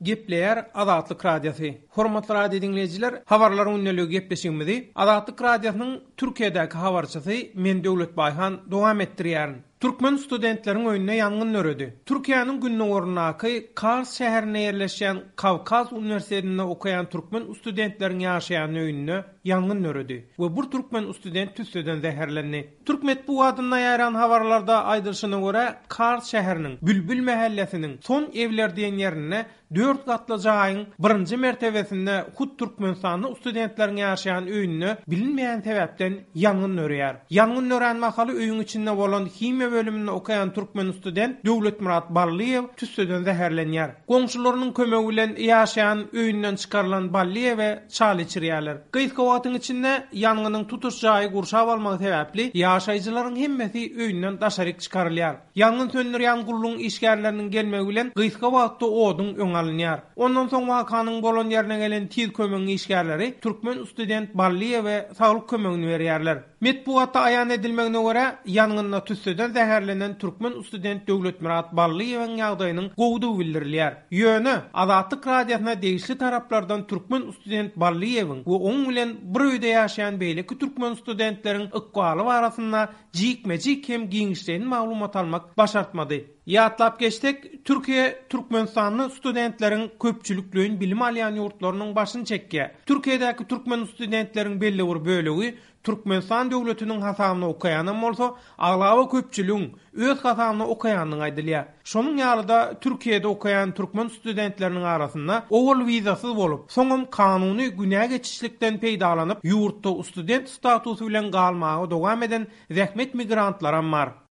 Gepleýär Azatlyk Radiosy. Hormatly radio diňleýjiler, Habarlar gündeligi gepleşigimizi Azatlyk Radiosynyň Türkiýedäki habarçysy men Döwlet Baýhan dowam etdirýärin. Türkmen studentleriň öýünde ýangyn döredi. Türkiýäniň gündogaryndaky Kars şäherinde ýerleşýän Kawkaz uniwersitetinde okaýan türkmen studentleriň ýaşaýan öýünde ýangyn döredi we bir türkmen student tüsseden zäherlendi. Türk metbugatynda ýaýran habarlarda aýdylyşyna görä, Kars şäheriniň Bülbül mähellesiniň Son Evler diýen ýerinde dört gatly jaýyň birinji mertebesinde hut türkmenistanly studentleriň ýaşaýan öýünde bilinmeýän sebäpden ýangyn döreýär. Ýangyn dörän mahaly öýüň içinde bolan himiýa bölüminde okaýan türkmen student Döwletmyrat Ballyýew tüsseden zäherlenýär. Goňşularynyň kömegi bilen ýaşaýan öýünden çykarylan Ballyýewe çal içirýärler. Gysga wagtyň içinde ýangynyň tutuş jaýy gurşap almagy sebäpli ýaşaýjylaryň hemmesi öýünden daşaryk çykarylýar. Ýangyn söndürýän gullugyň işgärleriniň gelmegi bilen gysga wagtda oduň öňi alynýar. Ondan soň wakanyň bolan ýerine gelen tiz kömegiň işgärleri türkmen student Ballyýewe saglyk kömegini berýärler. Metbugatda aýan edilmegine görä, ýangynda tüsseden zäherlenen türkmen student Döwletmyrat Ballyýewiň ýagdaýynyň gowudygy bildirilýär. Ýöne, Azatlyk Radiosyna degişli taraplardan türkmen student Ballyýewiň we oň bilen bir öýde ýaşaýan beýleki türkmen studentleriň ykbaly barasynda jikme-jik hem giňişleýin maglumat almak başartmady. Ýatlap geçsek, Türkiýe türkmenistanly studentleriň köpçülikleýin bilim alýan ýurtlarynyň başyny çekýär. Türkiýedäki türkmen studentleriň belli bir bölegi Türkmenistan döwletiniň hasabyna okaýanam bolsa, aglaba köpçüligiň öz hasabyna okaýandygy aýdylýar. Şonuň ýaly-da, Türkiýede okaýan türkmen studentleriniň arasynda owal wizasyz bolup, soňam kanuny günä geçişlikden peýdalanyp, ýurtda student statusy bilen galmaga dowam eden zähmet migrantlaram bar.